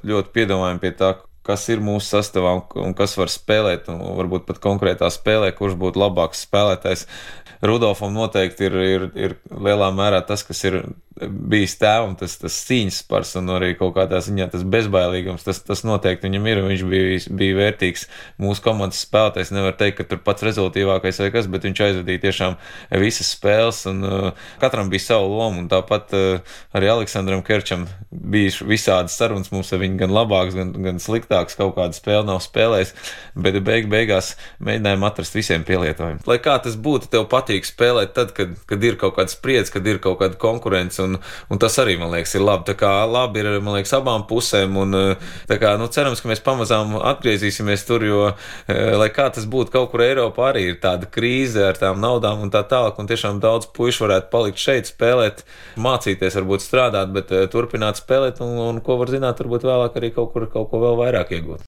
ļoti, ļoti piedomājam pie tā, kas ir mūsu sastāvā un kas var spēlēt, un varbūt pat konkrētā spēlē, kurš būtu labāks spēlētājs. Rudolfam noteikti ir lielā mērā tas, kas ir bijis tēvam, tas cīņas spars un arī kaut kādā ziņā tas bezbailīgums, tas noteikti viņam ir, un viņš bija vērtīgs mūsu komandas spēlētājs. Nevar teikt, ka tur pats rezultīvākais vai kas, bet viņš aizvadīja tiešām visas spēles, un katram bija sava loma, un tāpat arī Aleksandram Kerčam bija visādas sarunas, mums ar viņu gan labāks, gan sliktāks, kaut kāda spēle nav spēlējis, bet beigās mēģinājām atrast visiem pielietojumu. Lai kā tas būtu, tev patīk spēlēt tad, kad ir kaut kāds spriedz, kad ir kaut kāda konkurence, un tas arī, man liekas, ir labi. Tā kā labi ir, man liekas, abām pusēm, un tā kā, cerams, ka mēs pamazām atgriezīsimies tur, jo, lai kā tas būtu, kaut kur Eiropā arī ir tāda krīze ar tām naudām un tā tālāk, un tiešām daudz puišu varētu palikt šeit, spēlēt, mācīties, varbūt strādāt, bet turpināt spēlēt, un ko var zināt, varbūt vēlāk arī kaut ko vēl vairāk iegūt.